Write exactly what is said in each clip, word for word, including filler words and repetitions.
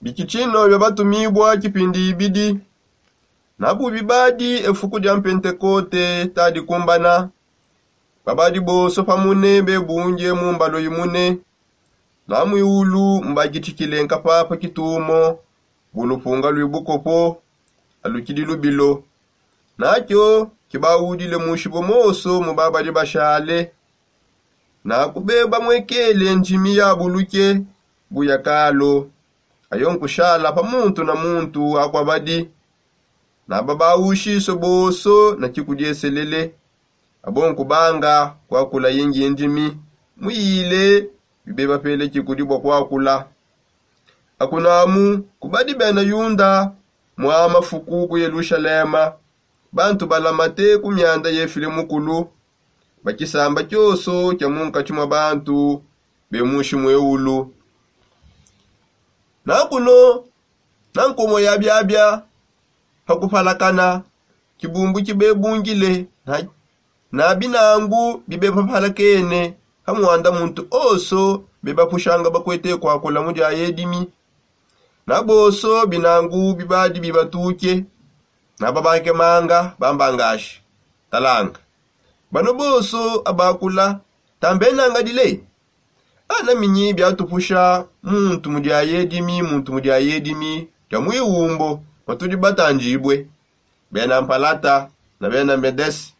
Bikitshino bia batumibua kipindi ibidi. Nabu bibadi efuku dia mpentekote tadikumbana. Babadi bonso pamune bebunge mu mbalo imune. Na muiulu mbakitshikile nkapapa kitumo bu lupunga lui bukopo alukidi lubilo. Nakio kibaudile mushibue monso mu babadi bashale. Nakube bamwekele ndimi ya buluke bu ya kalo. Ayo nkushala pa muntu na muntu akua badi. Naba baushisue bonso na kikudieselele. Abo nkubanga kuakula yingi ndimi muyile bibe bapele kikudi bua kuakula. Akunamu kubadi bena yunda mua mafuku ku yelushalema. Bantu balamate ku mianda yefile mukulu ba kisamba kioso kia munkatshi mua bantu be mushi mueulu. Nakuno na nkomo ya biabia pa kupalakana kibumbu kibebungile na binangu bibe papalakene pa muanda muntu onso bebapushanga bakuete kuakula mu dia yedimi. Na bonso binangu bibadi bibatuke. Na babakemanga bambangashi talanga bano bonso abakula tambenangadile. Ana minyi biatupusha muntu mu dia yedimi muntu mu dia yedimi dia muiwumbo matudi batandibue. Bena mpalata na bena medesi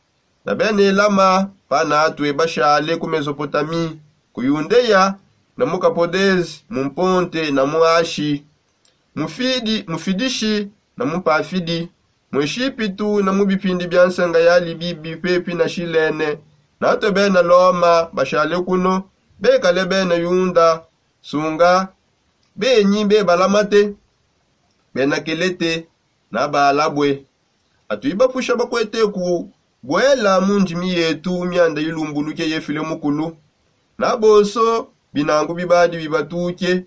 na bena elama panatue bashale ku mesopotami ku yundeya na mu kapodezi mu mponte na mu ashi mu fidishi na mu pafidi mu eshipitu na mu bipindi bia nsenga ya libibi pepi na shilene. Natue bena loma bashale kuno bekale bena yunda sunga benyi bebalamate bena kelete na baalabue. Atu ibapusha bakuete kubuela mu ndimi yetu mianda ilumbuluke yefile mukulu. Na bonso binangu bibadi bibatuke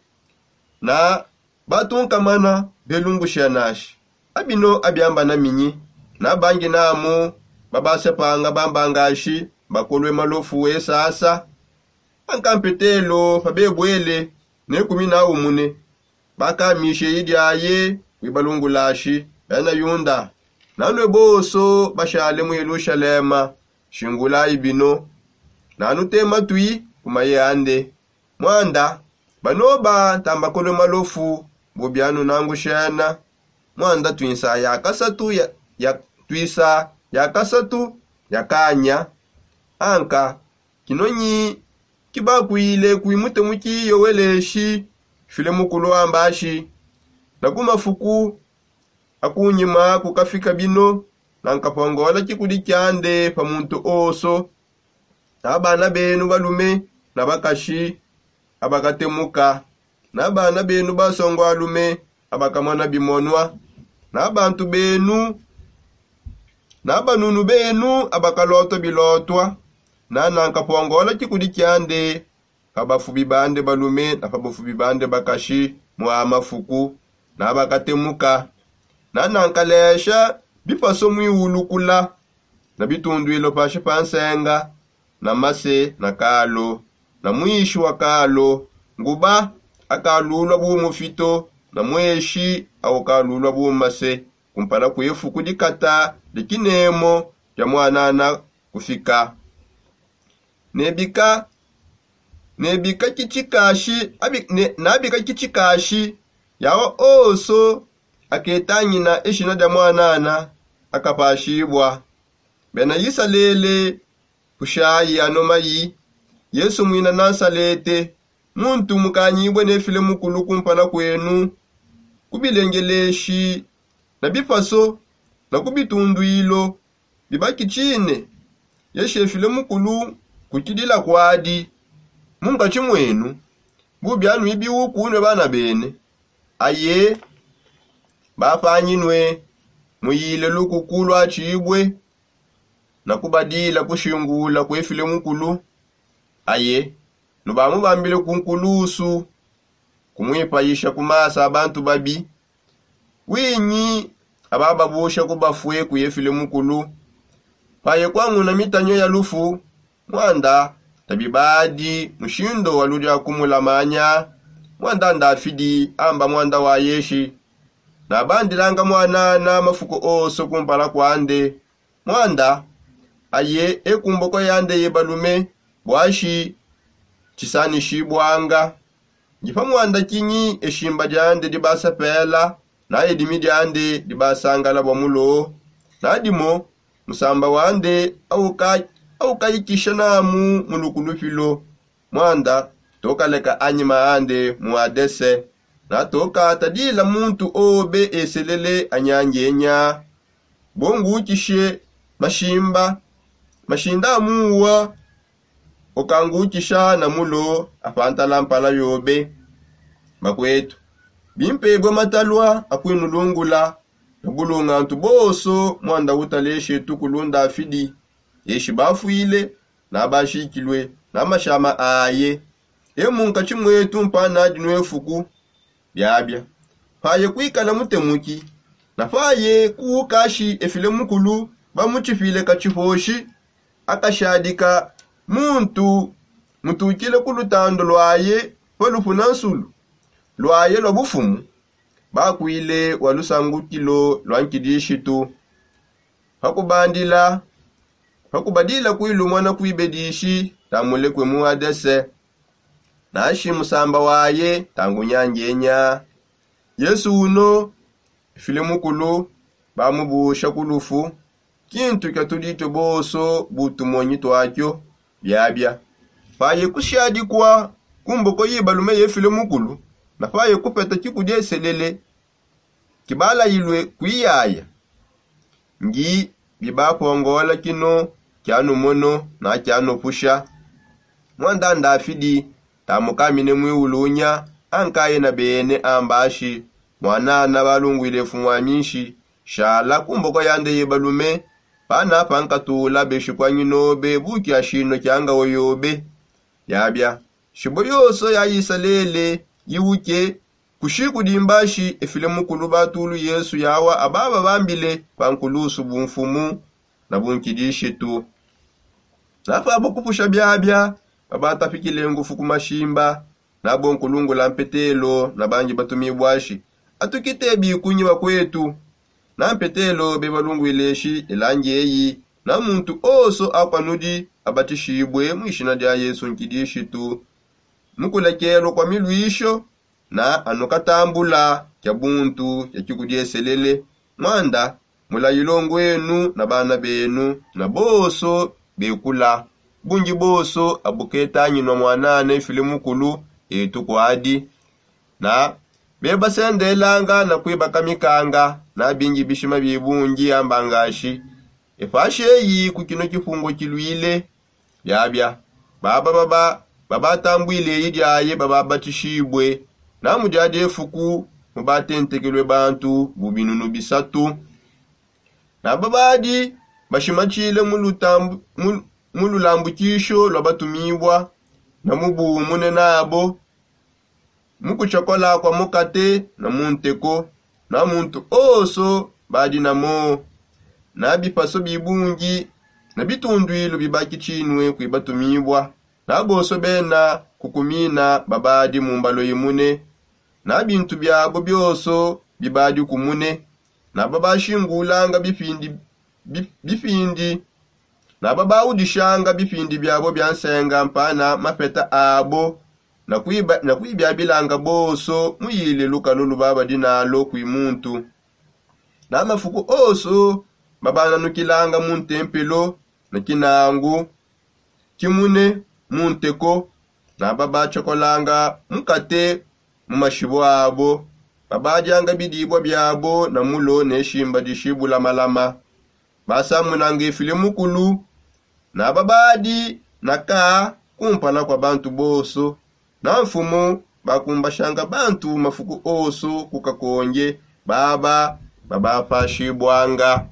na batunkamana belungushia nashi abino abiamba na minyi. Na bangi namu babasepanga bambangashi bakolue malofu esasa. Ankampetelo pa bebuele ne kumi na umune bakamishe idiaye wibalungulashi bena yunda. Nanue bonso bashale mu yelushalema shingulayi bino. Nanute matui ku maye ande. Muanda banoba tambakolue malofu bu bianunangushena. Muanda tuinsa ya kasatu ya, ya tuisa ya kasatu ya kanya. Anka kinonyi kibakuile kuimute mukiyo weleshi file mukulu wambashi. Na ku mafuku akunyima kukafika bino na nkapongola kikudi kiande pa muntu onso. Na bana benu balume na bakashi abakatemuka na bana benu basongo alume abakamona bimonwa na bantu benu na banunu benu abakalotwa bilotwa. Na nankapongola kikudi kiande pa bafubi bande balume na pa bafubi bande bakashi mu a mafuku na bakatemuka. Na nankalesha bipaso muiwulukula na bitunduilo pashi pa nsenga na mase na kalo na muishi wa kalo nguba akalulua bu mufito na mueshi aukalulua bu mase kumpala kue fuku dikata dia kinemo dia muanana kufika. Nebika nebika kitshikashi abi- ne- nabika kitshikashi yawa onso aketangina eshina dia muanana akapashibua. Bena isalele kushayi ano mayi yesu muina nansalete muntu mukanyibue nefile mukulu kumpala kuenu ku bilengeleshi na bipaso na ku bitunduilo bibakitshine. Yeshefile mukulu kukidila kuadi mu nkatshi muenu bu bianuibi ukunue bana bene. Aye bapanginue muyile lukuku luatshibue na kubadila kushingula kuefile mukulu. Aye nubamubambile ku nkulusu kumuipayisha ku masa a bantu babi. Winyi abababusha ku bafue kuyefile mukulu paye kuanguna mitanyo ya lufu. Muanda tabibadi mushindo wa ludiakumula manya Mwanda ndafidi amba mwanda wa yeshi, nabandilanga mwanana mafuku oso kumpala kwande. Mwanda aye ekumboko yande ye balume bwashi. Chisanishibwanga ndi pa mwanda kinyi eshimba diande dibasapela na edimi diande dibasangala bwa mulo. Nadimo musamba wande aukayikisha namu mu lukulupilo. Mwanda tokaleka anyima ande mu adese. Natokatadila muntu obe eselele anyangenya. Bongukishe mashimba mashinda amuwa okangukisha na mulo apantala mpala yobe. Bakwetu, bimpebwe matalwa akwinulungula na bulungantu boso mwanda utaleshe tukulu ndafidi. Eshi bafwile na bashikilwe na mashama aye. Emu nkatshi mwetu mpana dinwe fuku biabia. Paye kwikala mutemuki na paye kuukashi efile mukulu bamutshipile katshiposhi. Akashadika muntu mutukile ku lutando lwaye pa lupuna nsulu lwaye lwa bufumu. Bakwile wa lusangukilo lwa nkidishitu. Pakubandila pakubadila kwilumwa na kwibedishi tamulekwe mu adese. Nashi musamba waye tangunyangenya. Yesu uno efile mukulu bamubusha ku lufu. Kintu kia tuditio boso butumonyi twakio biabia. Paye kushadikwa ku mboko yibalume yefile mukulu na paye kupeta kikudieselele kibalayilwe kwiyaya. Ngi bibapongola kino kianumono na kianupusha. Mwanda ndafidi tamukamine mwiulunya ankaye na bene ambashi mwanana balungwile fumwaminshi shala ku mboko yande ye balume. Pana pankatula beshikwanyi nobe buki ashino kiangawo yobe. Yabia shibo yonso ya isalele yiwuke kushi kudimbashi efile mukulu batulu yesu yawa ababa bambile pa nkulusu bumfumu na bunkidishitu. Napabo kupusha biabia babatapikile ngufu ku mashimba. Nabo nkulungula mpetelo na bangi batumibwashi atukite bikunyi bakwetu. Na mpetelo bebalungwileshi elangi eyi na muntu oso akwanudi abatishibwe mu ishina dia yesu nkidishitu. Mukulekelwa kwa milwisho na anukatambula kia buntu kia kikudieselele. Mwanda mulayilo ngwenu na bana benu na boso bekula. Bungi boso abuketanginwa mwanana efile mukulu etu kwadi na bebasendelanga na kwibakamikanga na bingi bishima bibungi ambangashi epashi eyi ku kino kipungo kilwile. Biabia baba baba babatambwile eyi diaye bababatishibwe na mu dia diefuku mubatentekelwe bantu bu binunu bisatu. Na babadi bashimatshile mu lulambukisho lwa batumibwa na mu bumune nabo mu kutshakola kwa mukate na mu nteko na muntu oso badi namo na bipaso bibungi na bitundwilu bibakitshinwe kwibatumibwa na bonso bena kukumina babadi mu mbalo imune na bintu biabo bionso bibadi kumune. Na babashingulanga bipindi bipindi na babaudishanga bipindi biabo bia nsenga mpana mapeta abo na kwibiabilanga bonso muyile lukalu lubaba dinalo kwi muntu. Na mafuku onso babananukilanga mu ntempelo na kinangu kimune mu nteko na babatshakolanga mukate mu mashibo abo babadianga bidibua biabo na mulo ne shimba dishibulamalama. Basamunanga efile mukulu na babadi na ka kumpala kua bantu bonso na mfumu bakumbashanga bantu mafuku onso ku kakonge baba babapashibwanga.